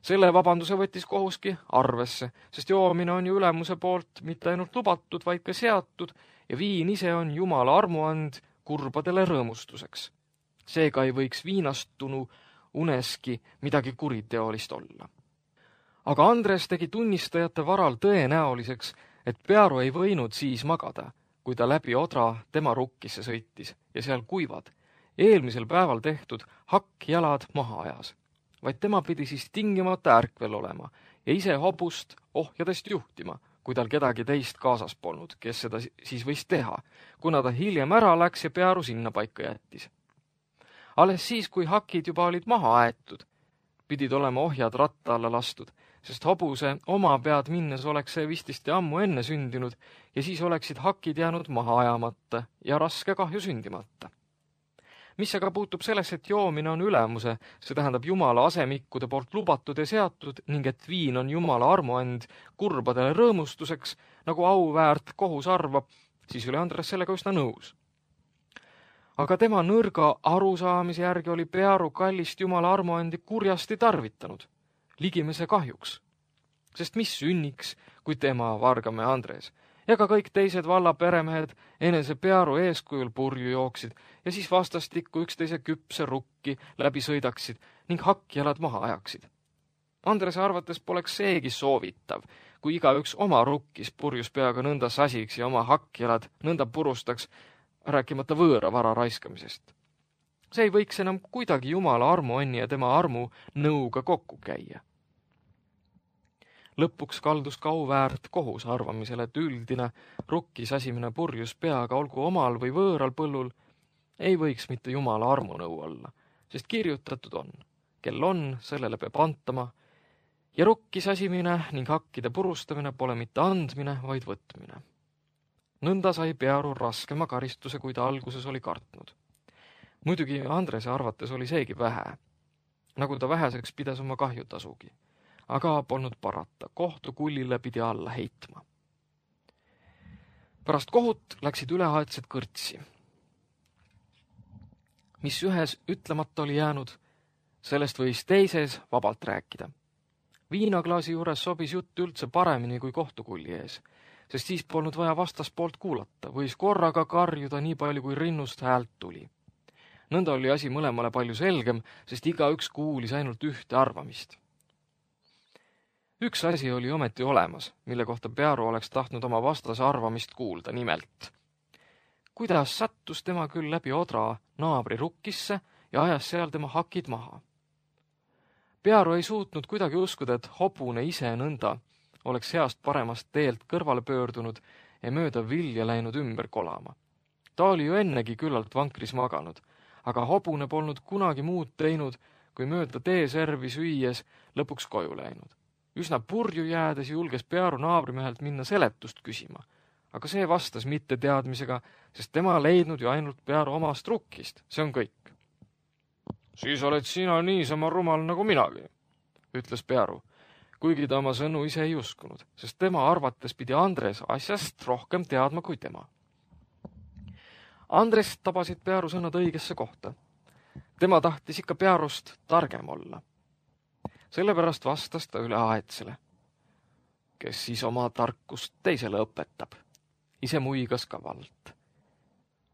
Selle vabanduse võttis kohuski arvesse, sest joomine on ju ülemuse poolt mitte ainult lubatud, vaid ka seatud ja viin ise on Jumala armuand kurbadele rõõmustuseks. Seega ei võiks viinastunu uneski midagi kuriteolist olla. Aga Andres tegi tunnistajate varal tõenäoliseks, et Pearu ei võinud siis magada, kui ta läbi odra tema rukkisse sõitis ja seal kuivad, eelmisel päeval tehtud hakkjalad maha ajas. Vaid tema pidi siis tingimata ärkvel olema ja ise hobust ohjadest juhtima, kui tal kedagi teist kaasas polnud, kes seda siis võis teha, kuna ta hiljem ära läks ja Pearu sinna paika jättis. Alles siis, kui hakid juba olid maha aetud, pidid olema ohjad ratta alla lastud, sest hobuse oma pead minnes oleks see vististi ammu enne sündinud ja siis oleksid hakid jäänud maha ajamata ja raske kahju sündimata. Mis aga puutub sellesse, et joomine on ülemuse, see tähendab Jumala asemikkude poolt lubatud ja seatud ning et viin on Jumala armuand kurbadele rõõmustuseks, nagu auväärt kohus arvab, siis oli Andres sellega üsna nõus. Aga tema nõrga arusaamise järgi oli Pearu kallist Jumala armuandi kurjasti tarvitanud, ligimese kahjuks. Sest mis sünniks, kui tema Vargamäe Andres ja ka kõik teised valla peremehed enese Pearu eeskujul purju jooksid ja siis vastastikku üksteise küpse rukki läbi sõidaksid ning hakkjalad maha ajaksid. Andrese arvates poleks seegi soovitav, kui igaüks oma rukkis purjus peaga nõnda sasiks ja oma hakkjalad nõnda purustaks, rääkimata võõra vara raiskamisest. See ei võiks enam kuidagi Jumala armuonni ja tema armu nõuga kokku käia. Lõpuks kaldus kauväärt kohus arvamisele, et üldine rukki sasimine purjus peaga, olgu omal või võõral põllul, ei võiks mitte Jumala armunõu olla, sest kirjutatud on, kel on, sellele peab antama, ja rukki sasimine ning hakkide purustamine pole mitte andmine, vaid võtmine. Nõnda sai Pearu raskema karistuse, kui ta alguses oli kartnud. Muidugi Andrese arvates oli seegi vähe, nagu ta väheseks pidas oma kahjutasugi, aga polnud parata, kohtu kullile pidi alla heitma. Pärast kohut läksid üleaedsed kõrtsi. Mis ühes ütlemata oli jäänud, sellest võis teises vabalt rääkida. Viinaklaasi juures sobis jutt üldse paremini kui kohtukulli ees, sest siis polnud vaja vastaspoolt kuulata, võis korraga karjuda nii palju, kui rinnust häält tuli. Nõnda oli asi mõlemale palju selgem, sest igaüks kuulis ainult ühte arvamist. Üks asi oli ometi olemas, mille kohta Pearu oleks tahtnud oma vastase arvamist kuulda, nimelt. Kuidas sattus tema küll läbi odra naabri rukkisse ja ajas seal tema hakid maha. Pearu ei suutnud kuidagi uskuda, et hobune ise nõnda oleks heast paremast teelt kõrvale pöördunud ja mööda vilja läinud ümber kolama. Ta oli ju ennegi küllalt vankris maganud, aga hobune polnud kunagi muud teinud, kui mööda teeservi süües lõpuks koju läinud. Üsna purju jäädes julges Pearu naabrimehelt minna seletust küsima, aga see vastas mitte teadmisega, sest tema leidnud ju ainult Pearu omast rukkist, see on kõik. Siis oled sina niisama rumal nagu minagi, ütles Pearu, kuigi ta oma sõnu ise ei uskunud, sest tema arvates pidi Andres asjast rohkem teadma kui tema. Andres tabasid Pearu sõnad õigesse kohta. Tema tahtis ikka Pearust targem olla. Sellepärast vastas ta üleaedsele, kes siis oma tarkust teisele õpetab. Ise muigas kavalt.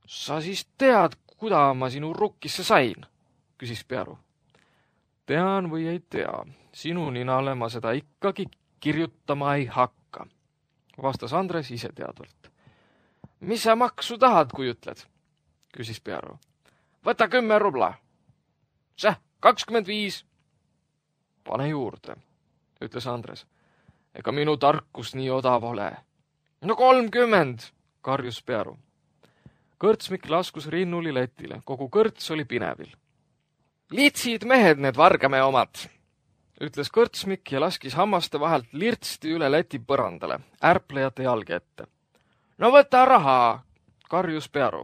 Sa siis tead, kuda ma sinu rukkisse sain, küsis Pearu. Tean või ei tea, sinu ninale ma seda ikkagi kirjutama ei hakka, vastas Andres ise teadvalt. Mis sa maksu tahad, kui ütled, küsis Pearu. Võta kümme rubla. Säh, kakskümmend viis. Pane juurde, ütles Andres. Ega minu tarkus nii odav ole. No kolmkümmend, karjus Pearu. Kõrtsmik laskus rinnuli letile, kogu kõrts oli pinevil. Litsid mehed need vargame omad, ütles kõrtsmik ja laskis hammaste vahelt lirtsti üle leti põrandale, ärplejate jalge ette. No võta raha, karjus Pearu.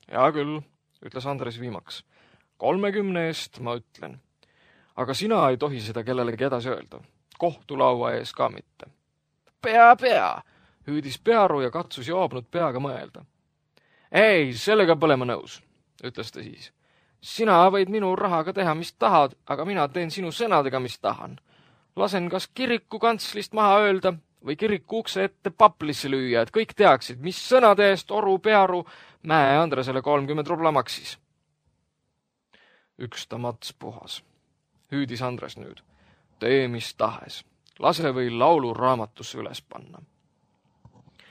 Hea küll, ütles Andres viimaks. Kolmekümne eest ma ütlen. Aga sina ei tohi seda kellelegi edasi öelda. Kohtulaua ees ka mitte. Pea, pea, hüüdis Pearu ja katsus joobnud peaga mõelda. Ei, sellega pole ma nõus, ütles ta siis. Sina võid minu rahaga teha, mis tahad, aga mina teen sinu sõnadega, mis tahan. Lasen kas kiriku kantslist maha öelda või kiriku ukse ette paplisse lüüa, et kõik teaksid, mis sõnade eest Oru Pearu Mäe Andresele kolmkümmend rubla maksis. Üks ta mats puhas, hüüdis Andres nüüd. Tee mis tahes, lase või laulu raamatusse üles panna.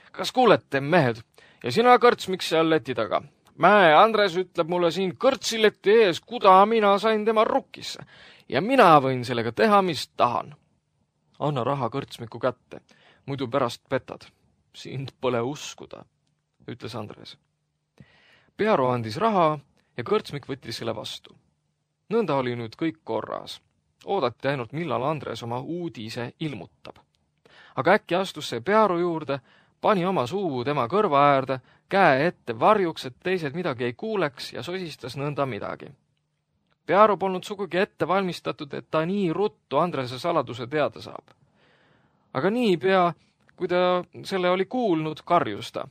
Kas kuulete, mehed, ja sina kõrtsmiks seal leti taga? Mäe Andres ütleb mulle siin kõrtsileti ees, kuda mina sain tema rukkisse ja mina võin sellega teha, mis tahan. Anna raha kõrtsmiku kätte, muidu pärast petad. Sind pole uskuda, ütles Andres. Pearu andis raha ja kõrtsmik võttis selle vastu. Nõnda oli nüüd kõik korras. Oodati ainult, millal Andres oma uudise ilmutab. Aga äkki astus see Pearu juurde, pani oma suu tema kõrva äärde, käe ette varjuks, et teised midagi ei kuuleks ja sosistas nõnda midagi. Pearu polnud sugugi ette valmistatud, et ta nii ruttu Andrese saladuse teada saab. Aga nii pea, kui ta selle oli kuulnud, karjus ta.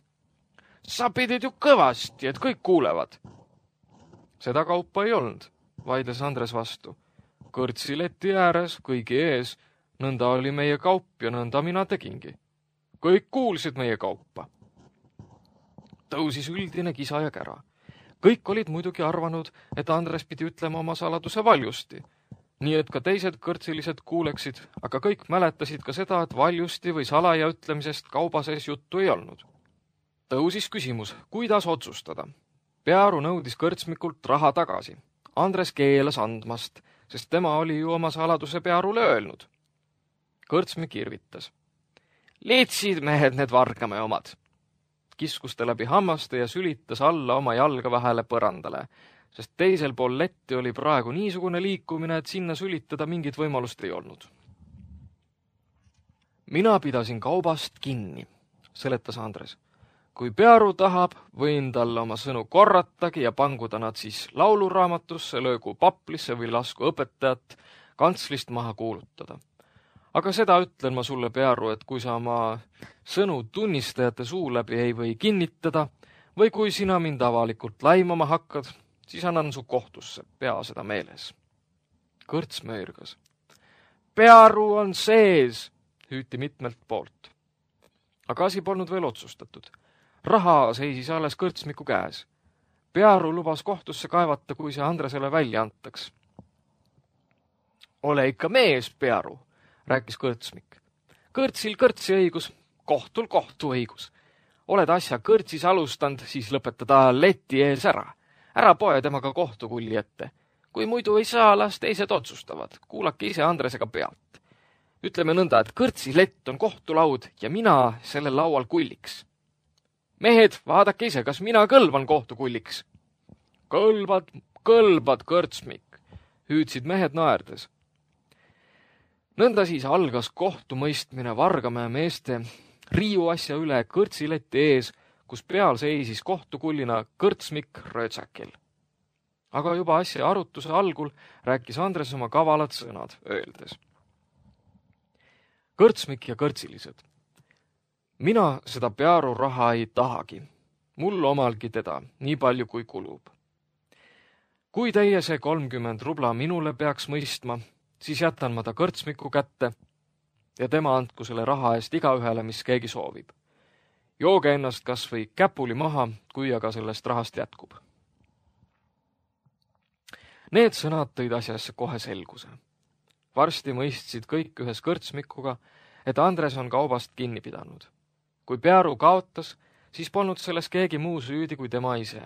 Sa pidid ju kõvasti, et kõik kuulevad. Seda kaupa ei olnud, vaidles Andres vastu. Kõrtsileti ääres, kõigi ees, nõnda oli meie kaup ja nõnda mina tegingi. Kõik kuulsid meie kaupa. Tõusis üldine kisa ja kära. Kõik olid muidugi arvanud, et Andres pidi ütlema oma saladuse valjusti. nii et ka teised kõrtsilised kuuleksid, aga kõik mäletasid ka seda, et valjusti või salaja ütlemisest kauba sees juttu ei olnud. Tõusis küsimus, kuidas otsustada. Pearu nõudis kõrtsmikult raha tagasi. Andres keelas andmast, sest tema oli ju oma saladuse Pearule öelnud. Kõrtsmik irvitas. Liitsid mehed need Vargamäe omad. Kiskus ta läbi hammaste ja sülitas alla oma jalga vahele põrandale, sest teisel pool letti oli praegu niisugune liikumine, et sinna sülitada mingit võimalust ei olnud. Mina pidasin kaubast kinni, seletas Andres. Kui Pearu tahab, võin talle oma sõnu korratagi ja panguda nad siis lauluraamatusse, löögu paplisse või lasku õpetajat kantslist maha kuulutada. Aga seda ütlen ma sulle, Pearu, et kui sa oma sõnu tunnistajate suu läbi ei või kinnitada või kui sina mind avalikult laimama hakkad, siis annan su kohtusse, pea seda meeles. Kõrts möirgas. Pearu on sees, hüüti mitmelt poolt. Aga asi polnud veel otsustatud. Raha seisis alles kõrtsmiku käes. Pearu lubas kohtusse kaevata, kui see Andresele välja antaks. Ole ikka mees, Pearu, rääkis kõrtsmik. Kõrtsil kõrtsi õigus, kohtul kohtu õigus. Oled asja kõrtsis alustanud, siis lõpetada leti ees ära. Ära poe temaga kohtukulli ette. Kui muidu ei saa, las teised otsustavad. Kuulake ise Andresega pealt. Ütleme nõnda, et kõrtsi lett on kohtulaud ja mina sellel laual kulliks. Mehed, vaadake ise, kas mina kõlban kohtukulliks. Kõlbad, kõlbad, kõrtsmik, hüüdsid mehed naerdes. Nõnda siis algas kohtumõistmine Vargamäe meeste riiu asja üle kõrtsileti ees, kus peal seisis kohtukullina kõrtsmik Röötsakil. Aga juba asja arutuse algul rääkis Andres oma kavalad sõnad, öeldes. Kõrtsmik ja kõrtsilised. Mina seda Pearu raha ei tahagi. Mul omalgi teda, nii palju kui kulub. Kui teie see kolmkümmend rubla minule peaks mõistma, siis jätan ma ta kõrtsmiku kätte ja tema andku selle raha eest igaühele, mis keegi soovib. Jooge ennast kas või käpuli maha, kui aga sellest rahast jätkub. Need sõnad tõid asjasse kohe selguse. Varsti mõistsid kõik ühes kõrtsmikuga, et Andres on kaubast kinni pidanud. Kui Pearu kaotas, siis polnud selles keegi muu süüdi kui tema ise.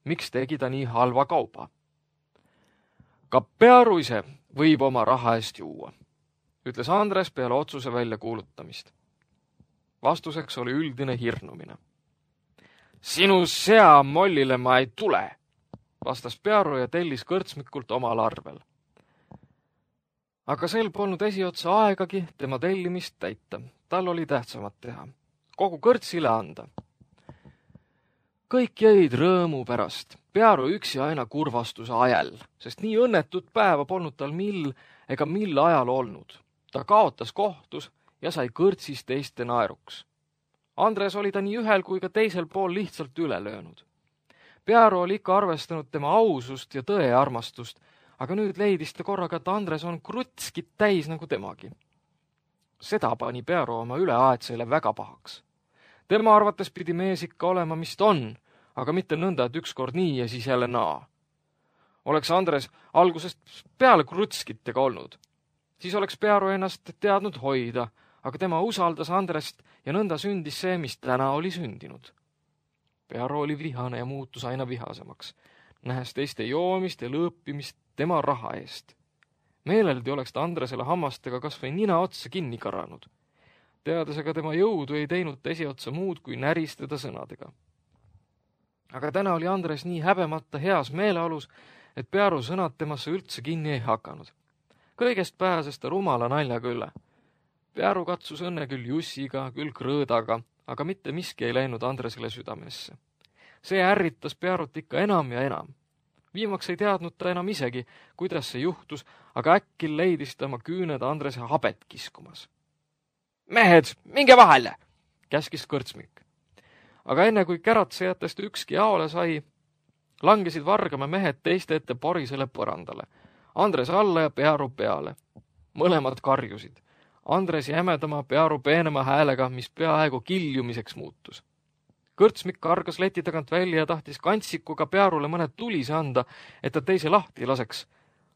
Miks tegi ta nii halva kauba? Ka Pearu ise võib oma raha eest juua, ütles Andres peale otsuse välja kuulutamist. Vastuseks oli üldine hirnumine. Sinu sea mollile ma ei tule, vastas Pearu ja tellis kõrtsmikult omal arvel. Aga sel polnud esiotsa aegagi tema tellimist täita. Tal oli tähtsamat teha. Kogu kõrtsile anda. Kõik jäid rõõmu pärast. Pearu üksi aina kurvastuse ajal, sest nii õnnetut päeva polnud tal mill ega mill ajal olnud. Ta kaotas kohtus ja sai kõrtsis teiste naeruks. Andres oli ta nii ühel kui ka teisel pool lihtsalt üle löönud. Pearu oli ikka arvestanud tema ausust ja tõe armastust, aga nüüd leidis ta korraga, et Andres on krutskit täis nagu temagi. Seda pani Pearu oma üleaetsele väga pahaks. Tema arvates pidi mees ikka olema, mis ta on, aga mitte nõnda, et ükskord nii ja siis jälle naa. Oleks Andres algusest peale krutskitega olnud, siis oleks Pearu ennast teadnud hoida, aga tema usaldas Andrest ja nõnda sündis see, mis täna oli sündinud. Pearu oli vihane ja muutus aina vihasemaks, nähes teiste joomist ja lõõpimist tema raha eest. Meeleldi oleks ta Andresele hammastega kas või nina otsa kinni karanud. Teades aga tema jõudu ei teinud ta esiotsa muud kui näristada sõnadega. Aga täna oli Andres nii häbemata heas meeleolus, et Pearu sõnad temasse üldse kinni ei hakanud. Kõigest pääses ta rumala naljaga üle. Pearu katsus õnne küll Jussiga, küll Krõõdaga, aga mitte miski ei läinud Andresele südamesse. See ärritas Pearut ikka enam ja enam. Viimaks ei teadnud ta enam isegi, kuidas see juhtus, aga äkki leidis ta oma küüned Andrese habet kiskumas. Mehed, minge vahele, käskis kõrtsmik. Aga enne kui käratsejatest ükski jaole sai, langesid Vargamäe mehed teiste ette porisele põrandale. Andres alla ja Pearu peale. Mõlemad karjusid. Andres jämedama, Pearu peenema häälega, mis peaaegu kiljumiseks muutus. Kõrtsmik kargas leti tagant välja ja tahtis kantsikuga Pearule mõned tulise anda, et ta teise lahti laseks.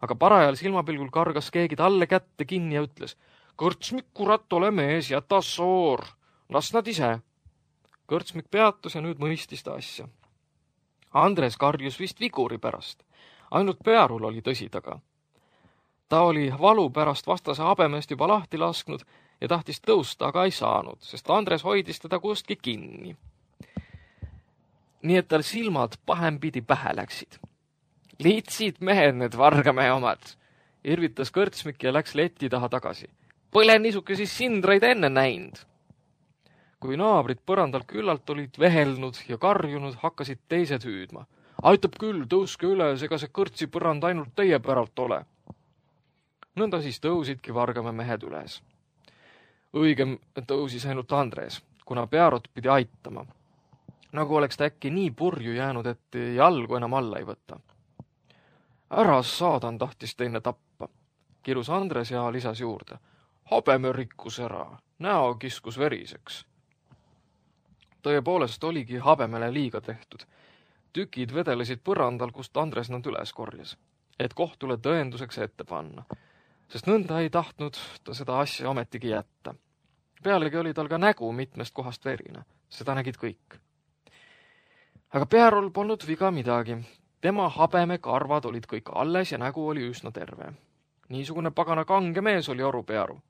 aga parajal silmapilgul kargas keegi talle kätte kinni ja ütles: "Kõrtsmik, kurat, ole mees, jäta soor, las nad ise." Kõrtsmik peatus ja nüüd mõistis ta asja. Andres karjus vist viguri pärast. Ainult Pearul oli tõsi taga. Ta oli valu pärast vastase habemest juba lahti lasknud ja tahtis tõusta, aga ei saanud, sest Andres hoidis teda kustki kinni. Nii et tal silmad pahempidi pähe läksid. "Liitsid mehed need vargamehe omad," irvitas Kõrtsmik ja läks leti taha tagasi. "Põle niisugesi sindraid enne näinud." Kui naabrid põrandal küllalt olid vehelnud ja karjunud, hakkasid teised hüüdma: "Aitab küll, tõuske üles, ega see kõrtsi põrand ainult teie päralt ole." Nõnda siis tõusidki vargamäe mehed üles. Õigem tõusis ainult Andres, kuna Pearot pidi aitama. Nagu oleks ta äkki nii purju jäänud, et jalgu enam alla ei võta. "Ära saadan tahtis teine tappa," kirus Andres ja lisas juurde: "Habeme rikkus ära, näo kiskus veriseks." Tõepoolest oligi habemele liiga tehtud. Tükid vedelesid põrandal, kust Andres nad üles korjas, et kohtule tõenduseks ette panna, sest nõnda ei tahtnud ta seda asja ometigi jätta. Pealegi oli tal ka nägu mitmest kohast verine, seda nägid kõik. Aga Pearol polnud viga midagi. Tema habeme karvad olid kõik alles ja nägu oli üsna terve. Niisugune pagana kange mees oli Oru Pearu.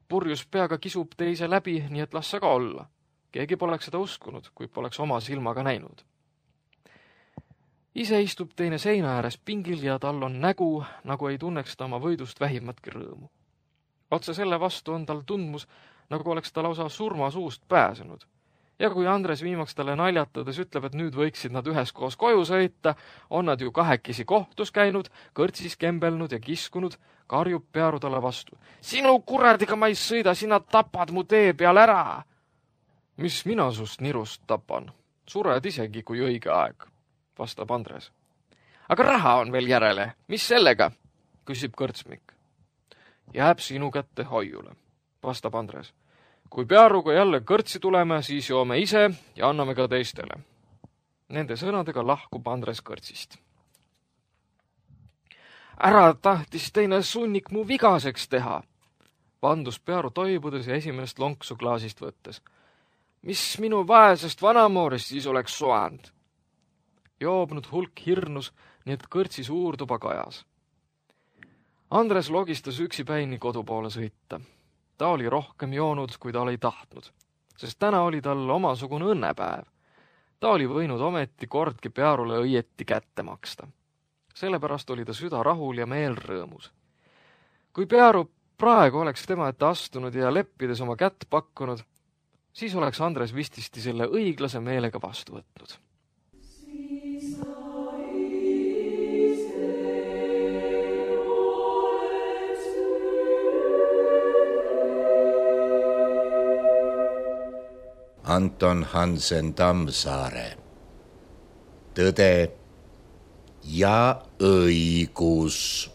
Purjus peaga kisub teise läbi, nii et las sa ka olla. Keegi poleks seda uskunud, kui poleks oma silmaga näinud. Ise istub teine seina ääres pingil ja tal on nägu, nagu ei tunneks ta oma võidust vähimatki rõõmu. Otse selle vastu on tal tundmus, nagu oleks ta lausa surma suust pääsenud. Ja kui Andres viimaks talle naljatades ütleb, et nüüd võiksid nad üheskoos koju sõita, on nad ju kahekesi kohtus käinud, kõrtsis kembelnud ja kiskunud, karjub Pearu talle vastu: "Sinu kuradiga ma ei sõida, sina tapad mu tee peal ära." "Mis mina sust nirust tapan? Sured isegi, kui õige aeg," vastab Andres. "Aga raha on veel järele, mis sellega?" küsib Kõrtsmik. "Jääb sinu kätte hoiule," vastab Andres. "Kui Pearuga jälle kõrtsi tuleme, siis joome ise ja anname ka teistele." Nende sõnadega lahkub Andres kõrtsist. "Ära tahtis teine sunnik mu vigaseks teha," vandus Pearu toibudes ja esimest lonksu klaasist võttes. "Mis minu vaesest vanamoorist siis oleks soand?" Joobnud hulk hirnus, nii et kõrtsi suurtuba kajas. Andres logistas üksipäini kodu poole sõita. Ta oli rohkem joonud, kui ta oli tahtnud, sest täna oli tal omasugune õnnepäev. Ta oli võinud ometi kordki Pearule õieti kätte maksta. Sellepärast oli ta süda rahul ja meel rõõmus. Kui Pearu praegu oleks tema ette astunud ja leppides oma kätt pakkunud, siis oleks Andres vististi selle õiglase meelega vastu võtnud.
Anton Hansen Tammsaare. Tõde ja õigus.